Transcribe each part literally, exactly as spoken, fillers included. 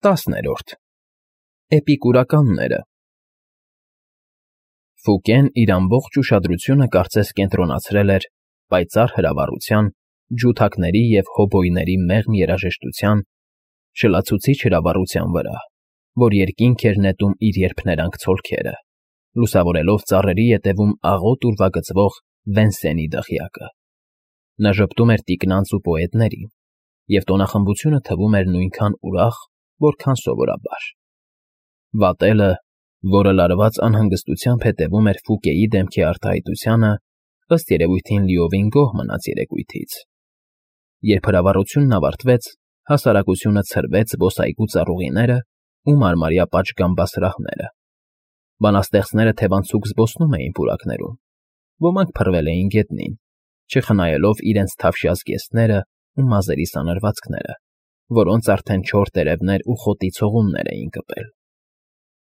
Տասներորդ Էպիկուրականները Ֆուկեն իր ամբողջ ուշադրությունը կարծես կենտրոնացրել էր պայծառ հրավառության, ջութակների և հոբոյների մեղմ երաժշտության, շլացուցիչ հրավառության վրա, որ երկինք էր նետում իր երփներանգ ցոլքերը, լուսավորելով ծառերի ետևում աղոտ ուրվագծվող Վենսենի դղյակը։ Նա ժպտում էր տիկնանց ու պոետներին, և տոնախմբությունը թվում էր նույնքան ուրախ, որքան սովորաբար։ Վատելը, որը լարված անհանգստությամբ հետևում էր Ֆուկեի դեմքի արտահայտությանը, ըստ երևույթին լիովին գոհ մնաց երեկույթից։ Երբ հրավառությունն ավարտվեց, հասարակությունը ցրվեց զբոսայգու ծառուղիները ու մարմարյա պատշգամբասրահները։ Բանաստեղծները թևանցուկ զբոսնում էին պուրակներում, ոմանք փռվել էին գետնին, չխնայելով իրենց թավշյա զգեստները ու մազերի սանրվածքները, որոնց արդեն չոր տերևներ ու խոտի ցողուններ էին կպել։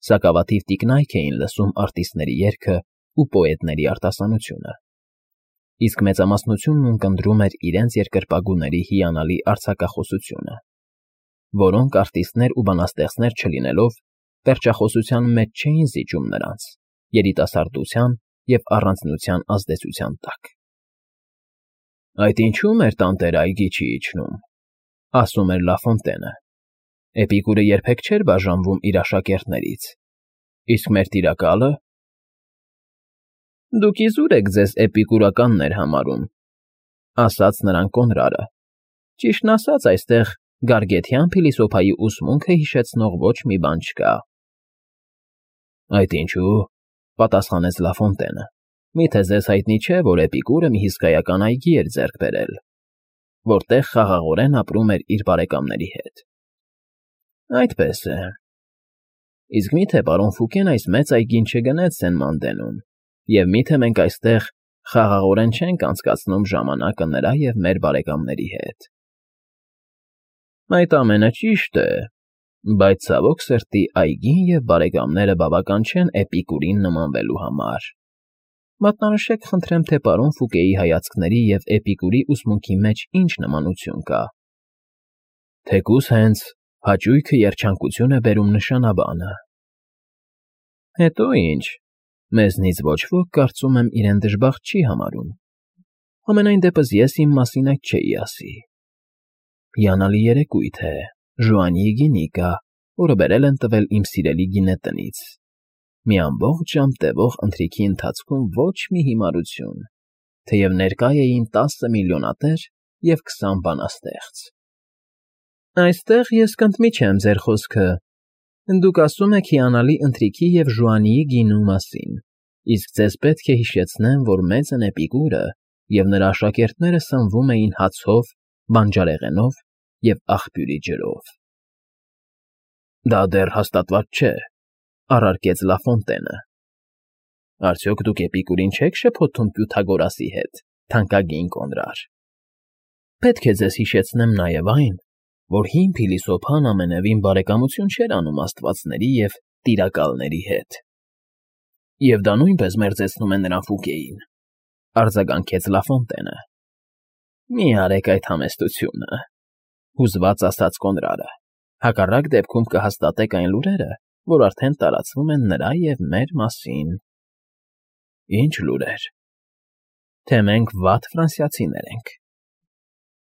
Սակավաթիվ տիկնայք էին լսում արտիստների երգը ու պոետների արտասանությունը, իսկ մեծամասնությունն ունկնդրում էր իրենց երկրպագուների հիանալի արձակախոսությունը, որոնք արտիստներ ու բանաստեղծներ չլինելով, պերճախոսության մեջ չէին զիջում նրանց երիտասարդության և առանձնության ազդեցության տակ։ «Այդ ինչու՞ մեր տանտերը այգի չի իջնում,֊ ասում էր Լաֆոնտենը,֊ Էպիկուրը երբեք չէր բաժանվում իր աշակերտներից, իսկ մեր Տիրակալը…» «Դուք իզուր եք ձեզ էպիկուրականներ համարում,֊ ասաց նրան Կոնրադը,֊ ճիշտն ասած, այստեղ գարգեթյան փիլիսոփայի ուսմունքը հիշեցնող ոչ մի բան չկա»։ «Այդ ինչու՞,֊ պատասխանեց Լաֆոնտենը,֊ միթե ձեզ հայտնի չէ, որ Էպիկուրը մի հսկայական այգի էր ձեռք բերել, որտեղ խաղաղորեն ապրում էր իր բարեկամների հետ»։ «Այդպես է… Իսկ մի՞թե պարոն Ֆուկեն այս մեծ այգին չգնեց Սեն֊Մանդենում, և մի՞թե մենք այստեղ խաղաղորեն չենք անցկացնում ժամանակը նրա և մեր բարեկամների հետ»։ «Այդ ամենը ճիշտ է, բայց, ցավոք սրտի, այգին և բարեկամները բավական չեն Էպիկուրին նմանվելու համար։ Մատնանշեք, խնդրեմ, թե պարոն Ֆուկեի հայացքների և Էպիկուրի ուսմունքի մեջ ինչ նմանություն կա»։ «Թեկուզ հենց հաճույքը երջանկություն է բերում նշանաբանը»։ «Հետո ինչ, մեզնից ոչ ոք, կարծում եմ, իրեն դժբախտ չի համարում, համենայն դեպս ես իմ մասին այդ չէի ասի։ Հիանալի երեկույթ է, Ժուանիի գինիկա, որը բերել են տվել իմ սիրելի գինետնից, մի ամբողջ ժամ տևող ընթրիքի ընթացքում ոչ մի հիմարություն, թեև ներկա էին տասը միլիոնատեր և քսան բանաստեղծ»։ «Այստեղ ես կընդմիջեմ ձեր խոսքը. դուք ասում եք հիանալի ընթրիքի և Ժուանիի գինու մասին, իսկ ձեզ պետք է հիշեցնեմ, որ մեծն Էպիկուրը և նրա աշակերտները սնվում էին հացով, բանջարեղենով և աղբյուրի ջրով»։ «Դա դեռ հաստատված չէ,֊ առարկեց Լաֆոնտենը։ «Արդյոք դուք Էպիկուրին չեք շփոթում Պյութագորասի հետ, թանկագին Կոնրար։ Պետք է ձեզ հիշեցնեմ նաև այն, որ հին փիլիսոփան ամենևին բարեկամություն չէր անում աստվածների և տիրակալների հետ»։ «Եվ դա նույնպես մերձեցնում է նրան Ֆուկեին,֊ արձագանքեց Լաֆոնտենը։ «Մի արեք այդ համեստությունը,֊ հուզված ասաց Կոնրադը,֊ հակառակ դեպքում կհաստատեք այն լուրերը, որ արդեն տարածվում են նրա և մեր մասին»։ «Ի՞նչ լուրեր»։ «Թե մենք վատ ֆրանսիացիներ ենք,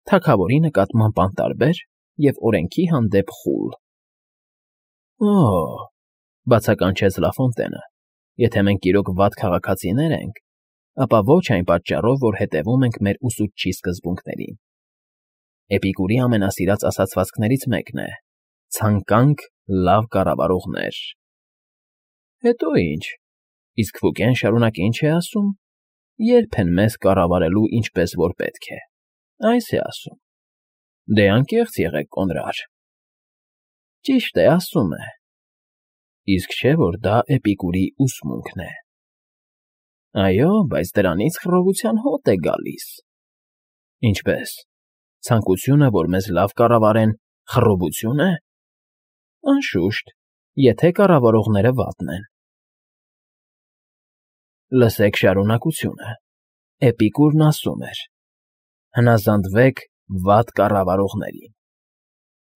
թագավորի նկատմամբ անտարբեր և օրենքի հանդեպ խուլ»։ «Օ՜…֊ բացականչեց Լաֆոնտենը,֊ եթե մենք իրոք վատ քաղաքացիներ ենք, ապա ոչ այն պատճառով, որ հետևում ենք մեր ուսուցչի սկզբունքներին։ Էպիկուրի ամենասիրած ասացվածքներից մեկն է. «Ցանկանք լավ կառավարողներ»։ Հետո ինչ, իսկ Ֆուկեն շարունակ ինչ է ասում. «Ե՞րբ են մեզ կառավարելու ինչպես որ պետք է, այս է ասում։ Դե անկեղծ եղեք, Կոնրար»։ «Ճիշտ է, ասում է։ Իսկ չէ՞ որ դա Էպիկուրի ուսմունքն է»։ «Այո, բայց դրանից խռովության հոտ է գալիս»։ «Ինչպե՞ս, ցանկությունը, որ մեզ լավ կառավարեն, խռովությո՞ւն է»։ «Անշուշտ, եթե կառավարողները վատն են»։ Լսեք շարունակությունը. Էպիկուրն ասում էր. «Հնազանդվեք վատ կառավարողներին»։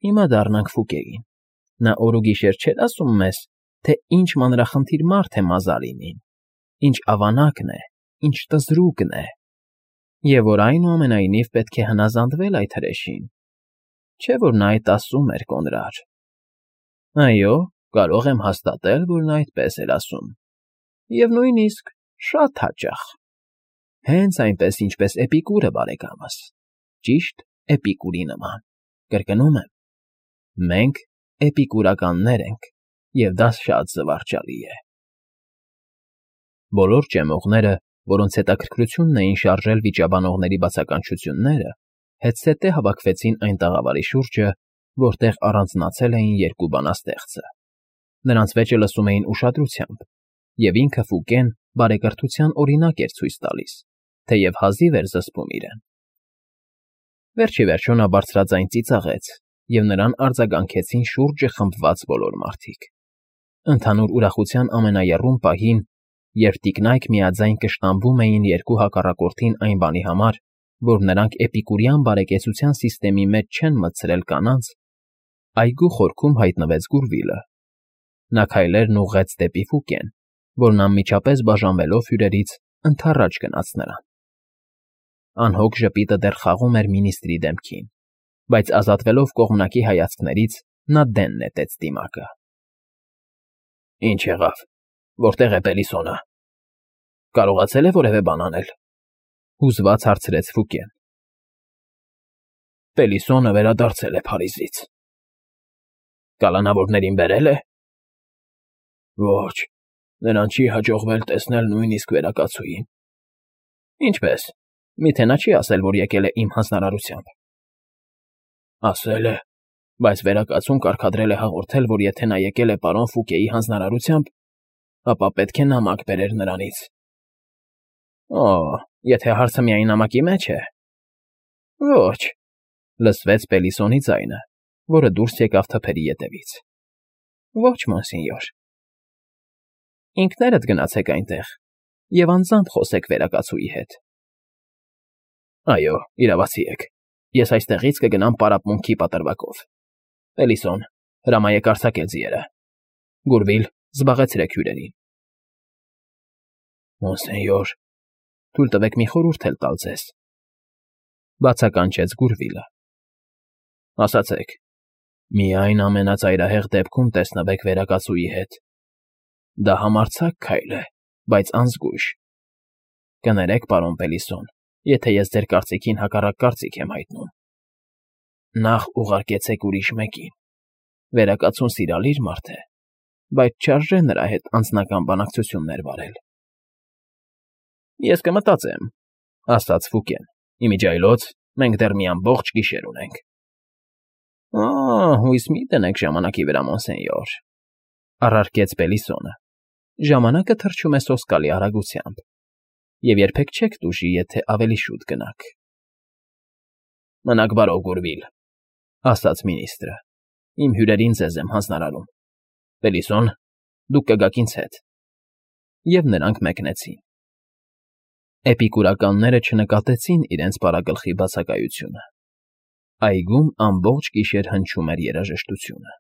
Հիմա դառնանք Ֆուկեին, Նա օր ու գիշեր չէր ասում մեզ, թե ինչ մանրախնդիր մարդ է Մազալինին, ինչ ավանակն է, ինչ տզրուկն է, և որ այնուամենայնիվ պետք է հնազանդվել այդ հրեշին, չէ՞ որ նա այդ ասում էր կոնրար։ Այո, կարող եմ հաստատել, որ նա այդպես էր ասում, և նույնիսկ շատ հաճախ, հենց այնպես, ինչպես Էպիկուրը, բարեկամս, ճիշտ Էպիկուրի նման, կրկնում եմ, մենք էպիկուրականներ ենք, և դա շատ զվարճալի է։ Բոլոր ճեմողները, որոնց հետաքրքրությունն էին շարժել վիճաբանողների բացականչությունները, հետզհետե հավաքվեցին այն տաղավարի շուրջը, որտեղ առանձնացել էին երկու բանաստեղծը. նրանց վեճը լսում էին ուշադրությամբ, և ինքը Ֆուկեն բարեկրթության օրինակ էր ցույց տալիս, թեև հազիվ էր զսպում իրեն։ Վերջ ի վերջո նա բարձրաձայն ծիծաղեց, և նրան արձագանքեցին շուրջը խմբված բոլոր մարդիկ։ Ընդհանուր ուրախության ամենաեռում պահին, երբ տիկնայք միաձայն կշտամբում էին երկու հակառակորդին այն բանի համար, որ նրանք էպիկուրյան բարեկեցության սիստեմի մեջ չեն մտցրել կանանց, այգու խորքում հայտնվեց Գուրվիլը։ Նա քայլերն ուղղեց դեպի Ֆուկեն, որն անմիջապես բաժանվելով հյուրերից, ընդառաջ գնաց նրան։ Անհոգ ժպիտը դեռ խաղում էր մինիստրի դեմքին, բայց ազատվելով կողմնակի հայացքներից, նա դեն նետեց դիմակը։ ֊ Ի՞նչ եղավ, որտե՞ղ է Պելիսոնը, կարողացե՞լ է որևէ բան անել,֊ հուզված հարցրեց Ֆուկեն։ ֊ Պելիսոնը վերադարձել է Փարիզից։ ֊ Կալանավորներին բերե՞լ է։ ֊ Ոչ, նրան չի հաջողվել տեսնել նույնիսկ վերակացուին։ ֊ Ինչպե՞ս, միթե նա չի ասել, որ եկել է իմ հանձնարարությամբ։ ֊ Ասել է, բայց վերակացուն կարգադրել է հաղորդել, որ եթե նա եկել է պարոն Ֆուկեի հանձնարարությամբ, ապա պետք է նամակ բերեր նրանից։ ֊ Օ՜, եթե հարցը միայն նամակի մեջ է։ ֊ Ոչ,֊ լսվեց Պելիսոնի ձայնը, որը դուրս եկավ թփերի ետևից։ ֊ Ոչ, մոնսենյոր։ ֊ Ինքներդ գնացեք այնտեղ և անձամբ խոսեք վերակացուի հետ։ ֊ Այո, իրավացի եք, ես այստեղից կգնամ պարապմունքի պատրվակով։ Պելիսոն, հրամայեք արձակել ձիերը։ Գուրվիլ, զբաղեցրեք հյուրերին։ ֊ Մոնսենյոր, թույլ տվեք մի խորհուրդ էլ տալ ձեզ,֊ բացականչեց Գուրվիլը։ ֊ Ասացեք, միայն ամենածայրահեղ դեպքում տեսնվեք վերակացուի հետ։ Դա համարձակ քայլ է, բայց անզգույշ։ Կներեք, պարոն Պելիսոն, եթե ես ձեր կարծիքին հակառակ կարծիք եմ հայտնում։ Նախ ուղարկեցեք ուրիշ մեկին։ Վերակացուն սիրալիր մարդ է, բայց չարժե նրա հետ անձնական բանակցություններ վարել։ ֊ Ես կմտածեմ,֊ ասաց Ֆուկեն։ Իմիջիայլոց մենք դեռ մի ամբողջ գիշեր ունենք։ ֊ Ա՜, հույս մի դնեք ժամանակի վրա, մոնսենյոր,֊ առարկեց Պելիսոնը։ Ժամանակը թռչում է սոսկալի արագությամբ, և երբեք չեք տուժի, եթե ավելի շուտ գնաք։ ֊ Մնաք բարով, Գուրվիլ,֊ ասաց մինիստրը։ Իմ հյուրերին ձեզ եմ հանձնարարում։ Պելիսոն, դուք կգաք ինձ հետ։ Եվ նրանք մեկնեցին։ Էպիկուրականները չնկատեցին իրենց պարագլխի բացակայությունը։ Այգում ամբողջ գիշեր հնչում էր երաժշտությունը։